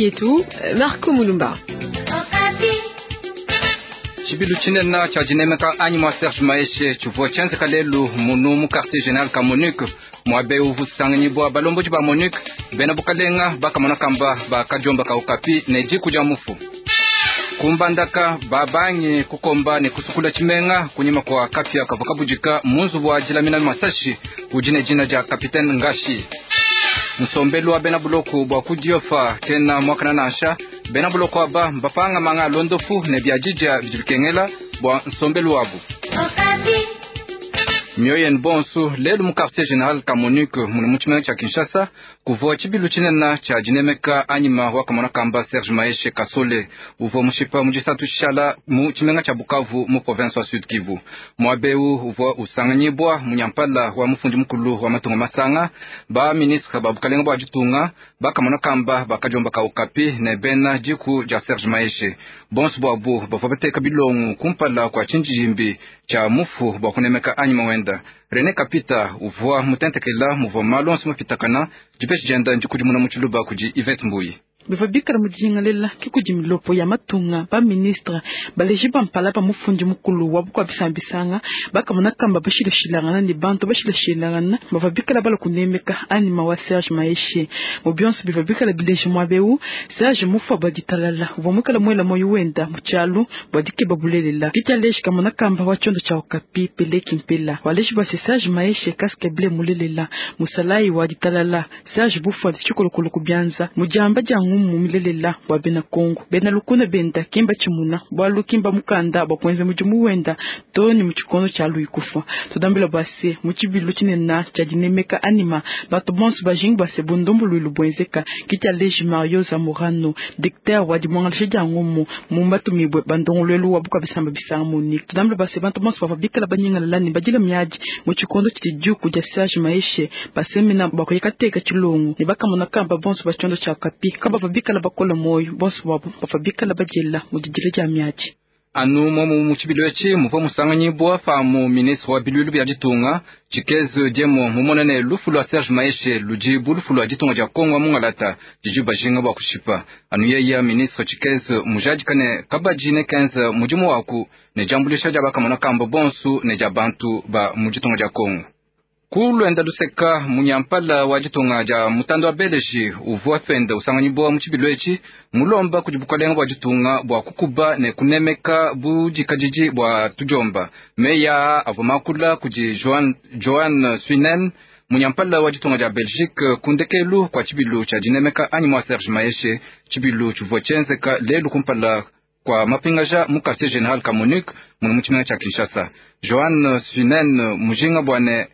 Yetu, Marco Mulumba. Tshibilu tshinene tshia dinemeka anyima wa Serge Maheshe tshivua tshienzeka lelu munu mu quartier general ka MONUC, muaba eu uvua usanganyibua balombodi ba MONUC, bena bukalenga bakamona kamba ba kadiomba ka Okapi ne diku dia mufu. Ku Mbandaka, babangi kukomba ne kusukula tshimenga kunyima kua kapia kavua kabudika mu nzubu wa dilamina masashi udi ne dina dia Capitaine Ngashi. Nsombelu wa bena buloko bua ku Diofa kena muakana nansha. Bena buloko aba mbapanga manga a luondopu ne biadidia bidi bikengela bua nsombelu wabu. Mioyo yenu bonso, lelu mu quartier general ka MONUC munu mu tshimenga tshia Kinshasa kuvua tshibilu tshinene tshia dinemeka anyima wa kamona kamba Serge Maheshe Kasole uvua mushipa mu disatu tshishala mu tshimenga tshia Bukavu mu province wa Sud Kivu. Muaba eu uvua usanganyibua munyampala wa mufundi mukulu wa matunga masanga, ba ministre ba bukalenga bua ditunga, ba kamona kamba ba kadiomba ka Okapi ne bena diku dia Serge Maheshe. Bonso buabu bavua bateka bilongo kumpala kua tshindidimbi tshia mufu bua kunemeka anyima wenda. Rene Kapita uvua mutentekela muvua malu onso mapitakana, dipeshi dienda ndikudimuna mu tshiluba kudi Yvette Mbuyi. Bivua bikala mu dijingalela ke kudi milopo ya matunga, ba ministre, baleji ba mpala ba mufundi mukulu wa bukua bisamba bisanga, bakamona kamba bashilashilangana ne bantu bashilashilangana bavua bikala bala kunemeka anyima wa Serge Maheshe. Mu bionso bivua bikala bileji muaba eu, Serge mufua bua ditalala uvua muikala muela muoyo wenda mu tshialu bua dikeba bulelela. Ke tshialeji kamona kamba wa tshiondo tshia Okapi Pele Kimpela waleji bua se Serge Maheshe casque bleu mulelela, musalayi wa ditalala. Serge bufua tshikolokolo ku bianza mu diamba dia ngumu milelela bua bena Kongo. Bena lukuna benda kimba tshimuna bualu kimba mukanda bua kuenza mudimu wenda to ne mu tshikondo tshia lui kufa. Tudambila bua se mu tshibilu tshinene tshia dinemeka anima bantu bonso bajingi bua se bundumbuluilu buenzeka. Ke tshialeji Mario Zamorano, dictateur wa dimuangalisha dia ngumu mu matumibue bandongoluelu wa bukua bisamba bisanga MONUC. Tudambila bua se bantu bonso bavua bikala banyingalala ne badila miadi mu tshikondo tshidi diku dia Serge Maheshe basemena bua kuyikateka tshilongo ne bakamona kamba bonso ba tshiondo tshia Okapi kabavua bikala bakola muoyo, bonso babo bavua bikala badiela mu didila dia miadi. Anu momu mu tshibilu etshi muvua musanganyibua pamu ministre wa biluilu bia ditunga Tshikeze Diemo mumone ne lufu lua Serge Maheshe ludi bu lufu lua ditunga dia Kongo wa mungalata didi bajinga bua kushipa. Anu yeya ministre Tshikeze mujadika ne kabadi ne kenza mudimu waku ne diambuluisha dia bakamona kamba bonso ne dia bantu ba mu ditunga dia Kongo. Ku luenda luseka munyampala wa ditunga dia mutanda wa Beleji uvua pende usanganyibua mu tshibilu etshi mulomba kudi bukalenga bua ditunga bua kukuba ne kunemeka budikadidi bua tudiomba. Meyi aa avua makula kudi Joan, Joan Swinen munyampala wa ditunga dia Belgique ku ndekelu kua tshibilu tshia dinemeka anyima wa Serge Maheshe. Tshibilu tshivua tshienzeka lelu kumpala kua mapingaja mu quartier general ka MONUC munu mu tshimenga tshia Kinshasa. Joan Swinen mujinga bua ne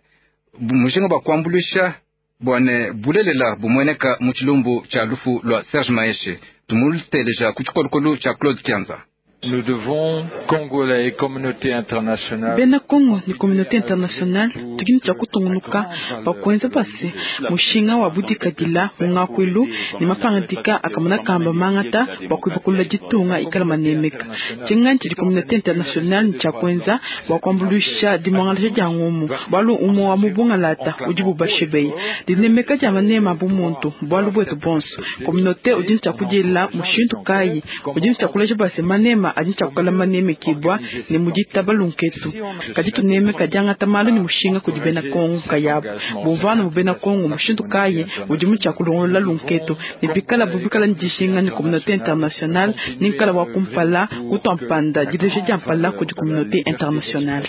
mujinga bua kuambuluisha bua ne bulelela bumueneka mu tshilumbu tshia lufu lua Serge Maheshe. Tumuteleja ku tshikolokolo tshia Claude Kianza. Nous devons, Congolais et communauté internationale, Bena Kongo ne communauté internationale tudi ne tshia kutungunuka bua kuenza bua se mushinga wa budikadila mu ngakuilu ne mapangadika akamona kamba mangata bua kuibakulula ditunga ikala manemeka. Tshinganyi tshidi communauté internationale ne tshia kuenza bua kuambuluisha dimuangalaja dia ngumu bualu umue wa mu bungalata udi bubashibeya dinemeka dia manema a bumuntu bualu buetu bonso. Communauté udi ne tshia kudiela mushindu kayi udi ne tshia kuleja bua se manema adi ne tshia kukala manemekibua ne mu ditaba lunketu. Kadi tunemeka diangata malu ne mushinga kudi bena Kongo nkayabu. Bumvuana mu bena Kongo mushindu kayi udi mu tshia kulongolola lunketu ne bikala bu bikala ne dijinga ne communauté internationale ne nkala wa kumpala kutua mpanda dileja dia mpala kudi communauté internationale.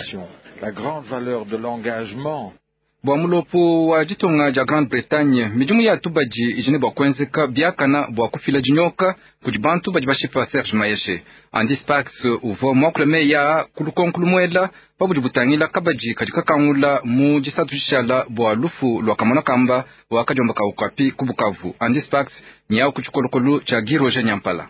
La grande valeur de l'engagement. Bua mulopo wa ditunga dia Grande-Bretagne, midimu ya tubadi idi ne bua kuenzeka biakana bua kufila dinyoka kudi bantu badi bashipa Serge Maheshe. Andy Sparks uvua muakule meyi aa ku lukonko lumuela pa budi butangila kabadi kadi kakangula mu disatu dishala bua lufu lua kamona kamba wa kadiomba ka Okapi ku Bukavu. Andy Sparks nyawu ku tshikolokolo tshia Guy Roger Nyampala.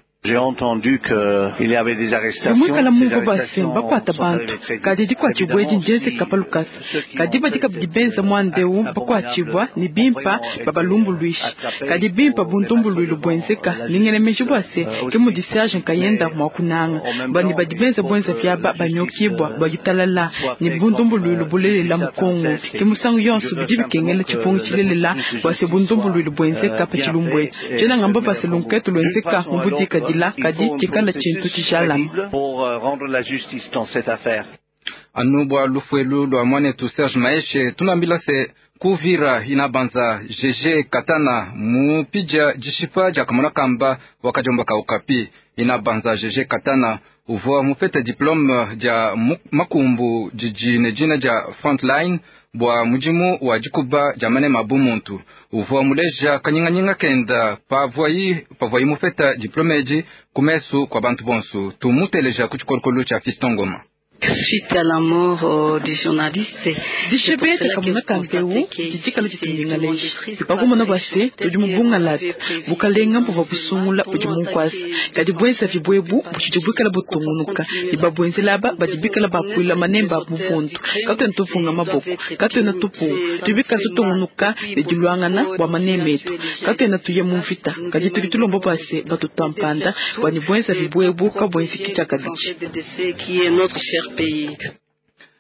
Bimuikala mumvua bua se, mbakuata bantu, kadi dikuatshibua edi ndienzeka pa lukasa. Kadi badi kabidi benza muanda eu bakuatshibua ne bimpa babalumbuluishe. Kadi bimpa bu ndumbuluilu buenzeka, ndi ngela meji bua se, ke mudi Serge nkayenda mua kunanga bua ne badi benza buenzavi aba banyokibua bua ditalala ne bu ndumbuluilu bulelela mu Congo. Ke musangu yonso bidi bikengela tshipungi tshilelela bua se bundumbuluilu buenzeka pa tshilumbu etshi. Tshiena ngamba bua se lunketu luenzeka mu budikadila kadi tshikala tshintu tshijalama. Anu bua lufu elu lua muanetu Serge Maheshe, tunuambila se ku Uvira inabanza GG Katana mupidia dishipa dia kamona kamba wa kadiomba ka Okapi. Inabanza GG Katana uvua mupete diplome dia makumbu didi ne dina dia Frontline bua mudimu wa dikuba dia manema a bumuntu. Uvua muleja kanyinganyinga kenda pavuayi pavuayi mupeta diplome edi ku mesu kua bantu bonso. Tumuteleja ku tshikolokolo tshia Fiston Ngoma. Suite à la mort du journaliste, Dishibeya dia kamona ka mpewu didi dikala ditunyingalaja pa kumona bua se, tudi mu bungalata. Bukalenga buvua busungula budi mu nkuasa, kadi buenzavi buebu butshidi buikala butungunuka ne babuenzela aba badi bikala bapuila manemba a muvundu. Katuena tuvunga maboko, katuena tupuwa, tudi bikala tutungunuka ne diluangana bua maneme etu. Katuena tuya mu mvita, kadi tudi tulomba bua se, batutua mpanda bua ne buenzavi buebu kabuenzeki tshiakabidi.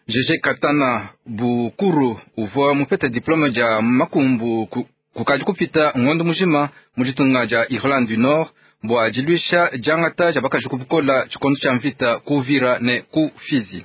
GG Katana Bukuru uvua mupete diplome dia makumbu kukadi kupita ngondo mujima mu ditunga dia Irlande du Nord bua diluisha diangata dia bakaji ku bukola tshikondo tshia mvita ku Uvira ne ku Fizi.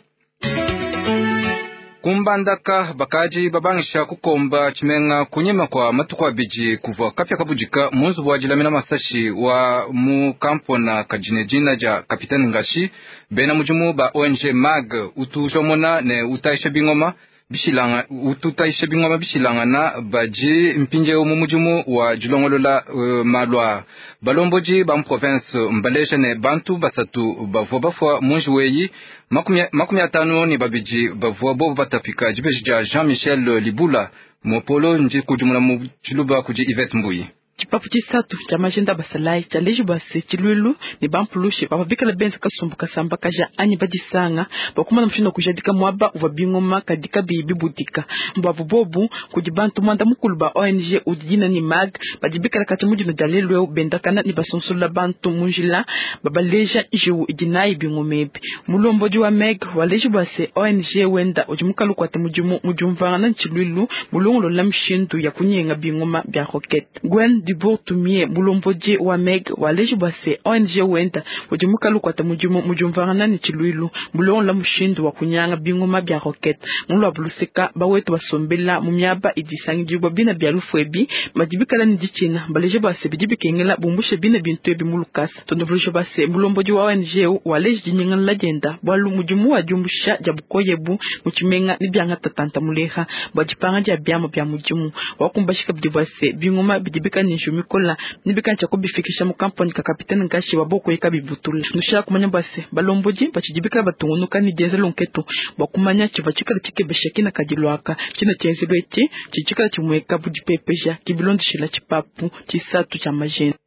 Ku Mbandaka bakadi babangisha kukomba tshimenga kunyima kua matuku abidi kuvua kapia kabudika mu nzubu wa dilamina masashi wa mu kampona kadi ne dina dia Capitaine Ngashi. Bena mudimu ba ONG MAG utu ujomona ne utayisha bingoma bishilanga utu utayisha bingoma bishilangana badi mpindieu mu mudimu wa dilongolola malu aa. Balombodi ba mu province mbaleja ne bantu basatu bavua bafua mu njiwu eyi, 52 bavua bobu batapika. Dibeji dia Jean Michel Libula Mopolo ndikudimuna mu tshiluba kudi Yvette Mbuyi. Tshipapu tshisatu tshia majenda a basalayi tshialeji bua se tshiluilu ne bampulushi bavua bikala benza kasumbu kasambakaja anyi badisanga bua kumona mushindu wa kujadika muaba uvua bingoma kadi kabiyi bibudika. Buabu bobu kudi bantu muanda mukulu ba ONG udi dina ne MAG badi bikala katshia mu dino dia lelu eu bendakana ne basonsolola bantu mu njila babaleja njiwu idi nayi bingoma ebi. Mulombodi wa MEG waleji bua se ONG wenda udi mukala ukuata mudimu mu diumvuangana ne tshiluilu mulongolola mishindu ya kunyenga bingoma bia roquette. Gwen Dubourg-Tumie mulombodi wa MEG waleji bua se ONG wenda udi mukala ukuata mudimu mu diumvuangana ne tshiluilu mulongolola mushindu wa kunyanga bingoma bia roquette. Mu luabu luseka bawetu basombela mu miaba idi isangidibua bina bia lufu ebi badi bikala ne ditshina baleje bua se bidi bikengela bumbushe bina bintu ebi mu lukasa. Tondovuluja bua se mulombodi wa ONG eu waleji dinyingalala dienda bualu mudimu wa diumbusha dia bukoya ebu mu tshimenga ne biangata tanta muleha bua dipanga dia biamu bia mudimu. Wakumbashi kabidi bua se bingoma bidi bikala ne njiwu mikola ne bikala tshia kubifikisha mu kampani ka Capitaine Ngashi wa bokoye kabibutula. Nushala kumanya bua se balombodi batshidi bikala batungunuka ne dienza lunketu bua kumanya tshivua tshikala tshikebesha kina kadiluaka tshina tshienzelu etshi tshidi tshikala tshimueka bu dipepeja kibilondeshila tshipapu tshisatu tshia majenda.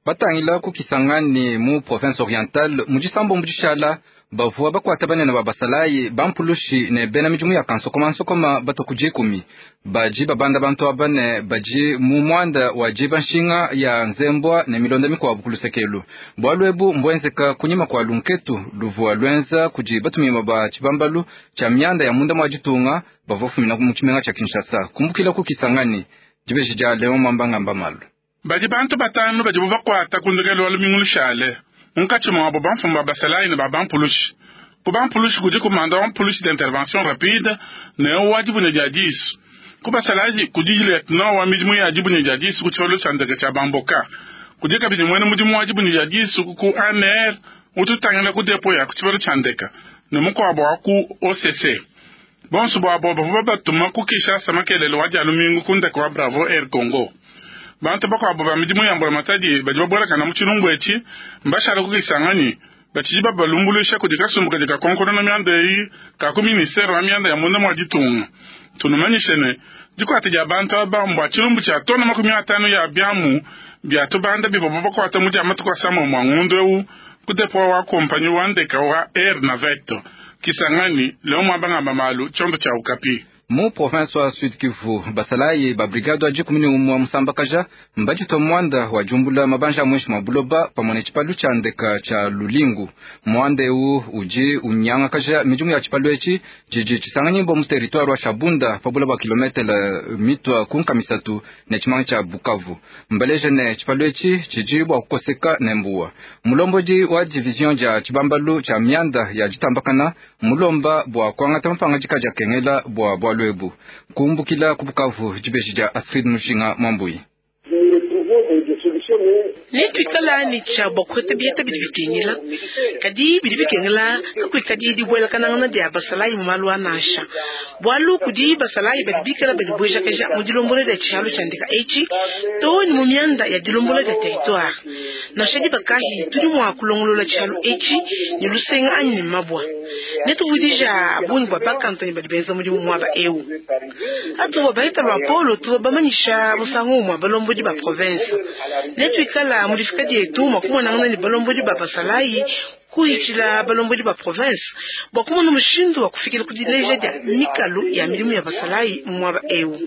Batangila ku Kisangani mu province orientale mu disambombo dishala bavua bakuata banene ba basalayi bampulushi ne bena midimu ya kansokomansokoma batua ku dikumi. Badi babanda bantu aba ne badi mu muanda wa diba nshinga ya nzembua ne milonda mikuabu ku lusekelu. Bualu ebu mbuenzeka kunyima kua lunketu luvua luenza kudi batumibue ba tshibambalu tshia mianda ya munda mua ditunga bavua bafumina mu tshimenga tshia Kinshasa kumbukila ku Kisangani. Dibeji dia Leon Mwamba ngamba malu. Badi bantu batanu badibu bakuata ku ndekelu wa lumingu lushale, munkatshi muabu bamfumu ba basalayi ne ba bampulushi. Ku bampulushi kudi kumanda wa mpulushi d'intervention rapide ne wa dibunya dia disu. Ku basalayi kudi lieutenant wa midimu ya dibunya dia disu ku tshipalu tshia ndeke tshia Bamboka. Kudi kabidi muena mudimu wa dibunya dia disu ku ANR utu utangila ku depo ya ku tshipalu tshia ndeke ne mukuabu wa ku OCC. Bonso buabo bavua babatuma ku Kinshasa makelele wa dia lumingu ku ndeke wa Bravo Air Congo. Bantu bakuabu ba midimu ya mbulamatadi badi babuelakana mu tshilumbu etshi mbashala ku Kisangani. Batshidi babalumbuluisha kudi kasumbu kadi kakonkonona mianda eyi ka ku ministere wa mianda ya munda mua ditunga. Tunumanyishe ne, dikuata dia bantu aba mbua tshilumbu tshia tona 50 ya biamu bia tubanda bivuabu bakuata mu dia matuku asambombo a ngondo eu ku depo wa kompanyi wa ndeka wa Air Navette. Kisangani, Leon Mwamba ngamba malu, tshiondo tshia Okapi. Mu province wa Sud Kivu, basalayi ba brigade wa 11 musambakaja mbaditua muanda wa diumbula mabanja a muinshi mua buloba pamue ne tshipalu tshia ndeka tshia Lulingu. Muanda eu udi unyangakaja midimu ya tshipalu etshi tshidi tshisanganyibua mu territoire wa Shabunda pa bula bua kilometele mitua ku nkama 3 ne tshimanga tshia Bukavu. Mbaleje ne tshipalu etshi tshidi bua kukoseka ne mbuwa. Mulombodi wa division dia tshibambalu tshia mianda ya ditambakana mulomba bua kuangata mapangadika diakengela bua bualu ebu. Kumbukila ku Bukavu, dibeji dia Astrid Mushinga Mwambui. Netuikala ne tshia bua kupeta biheta bidi bikengela, kadi bidi bikengela kakuikadi dibuelakanangana dia basalayi mu malu a nansha, bualu kudi basalayi badi bikala badibuejakaja mu dilombola dia tshihalo tshia ndeka etshi to ne mu mianda ya dilombola dia territoire. Nansha diba kahi tudi mua kulongolola tshihalo etshi ne lusenga anyi ne mabua. Netuvudija bungi bua bakantoni badi benza mudimu muaba eu. Atuvua baheta lwapolo tuvua bamanyisha musangu umue balombodi ba province. Netuikala mu difika dietu mua kumonangana ne balombodi ba basalayi kuhitshila balombodi ba province bua kumona mushindu wa kufikila ku dileja dia mikalu ya midimu ya basalayi mu muaba eu.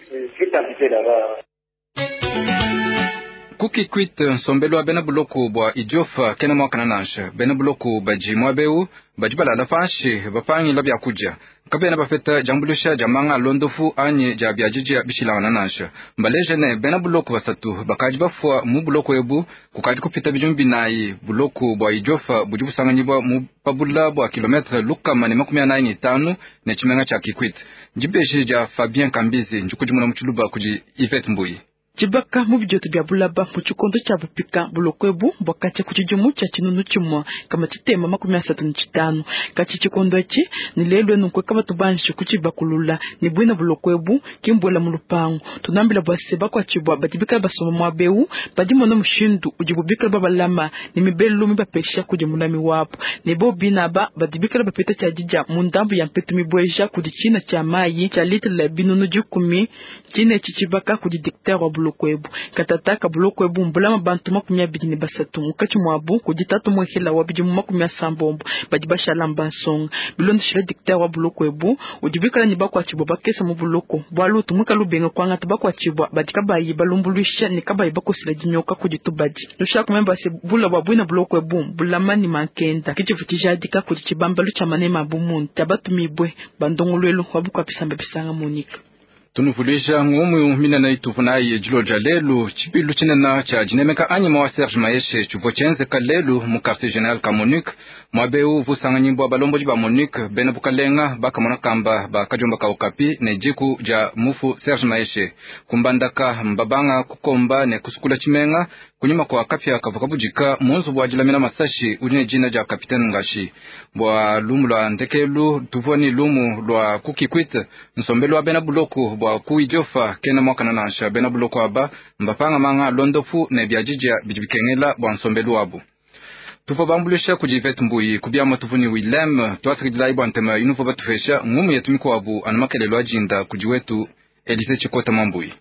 Ku Kikwit, nsombelu wa bena buloko bua Idiofa kena muakana nansha. Bena buloko badi muaba eu badi balala panshi bapangila biakudia, kabena bapeta diambuluisha dia manga a londofu anyi dia biadidia bishilangana nansha. Mbaleje ne bena buloko 3 bakadi bafua mu buloko ebu kukadi kupita bidimu 4. Buloko bua Idiofa budi busanganyibua mu pabula bua kilometre 145 ne tshimenga tshia Kikwit. Dibeji dia Fabien Kambizi ndikudimuna mu tshiluba kudi Yvette Mbuyi. Tshibaka mu bidioto bia bulaba mu tshikondo tshia bupika buloko ebu bwakatshia ku tshidimu tshia 1535 katshi tshikondo etshi ne lelu enu nkweka batu banji kutshibakulula ne bwina buloko ebu kimbuela mu lupangu. Tunambila bua se bakuatshibua badi bikala basomba muaba eu badi mona mushindu udibu bikala babalama ne mibelu mibapesha kudi mulami wabu ne bo binaba badi bikala bapeta tshia didia mu ndambu ya mpetu mibueja kudi tshina tshia mayi tshia litre la 10.000 tshine tshibaka kudi dictateur wa buloko ebu. Katata ka buloko ebu mbulama bantu 23 mukachi mwabu kudi tatu mwehela wa bidimu 70 badi bashala mbansonga. Bilondeshila dictateur wa buloko ebu udi bikala ne bakuatshibua bakesa mu buloko bualu tumwika lubenga kuangata bakuatshibua badi kabayi balumbuluisha ne kabayi bakosela dinyoka kudi tubadi. Nushaka memba se bula bua bwina buloko ebu bulama ni mankenda kichivu tshijadika kudi tshibambalu tshia manema bumuntu tshia batumibwe bandongoluelu wa bukuapisamba bisanga Monica. Tunuvuluija ngumu minene ituvunayi dilo dia lelu tshibilu tshinene tshia dinemeka anyima wa Serge Mayeshe tshivua tshienzeka lelu mu quartier general ka MONUC. Muaba eu uvua balombodi ba MONUC bena bukalenga bakamona kamba ba kadiomba ka Okapi ne diku dia mufu Serge Mayeshe. Kumbandaka mbabanga kukomba ne kusukula tshimenga kunyima kwa kapia kavua kabudika mu nzubu wa dilamina masashi udi ne dina dia Capitaine Ngashi. Bua lumu lua ndekelu tuvua ni lumu lua ku Kikwit nsombelu wa bena buloko bua ku Idiofa kena muakana nansha. Bena buloko aba mbapanga manga londofu ne biadidia bidi bikengela bua nsombelu wabu. Tuvua bambulisha kudi Yvette Mbuyi kubiama tuvu ni Willem tuasakidilayi bua ntema inuvo batupesha ngumu yetu mikuabu anu makelelo ajinda kudi wetu Elise Chikota Mwambuyi.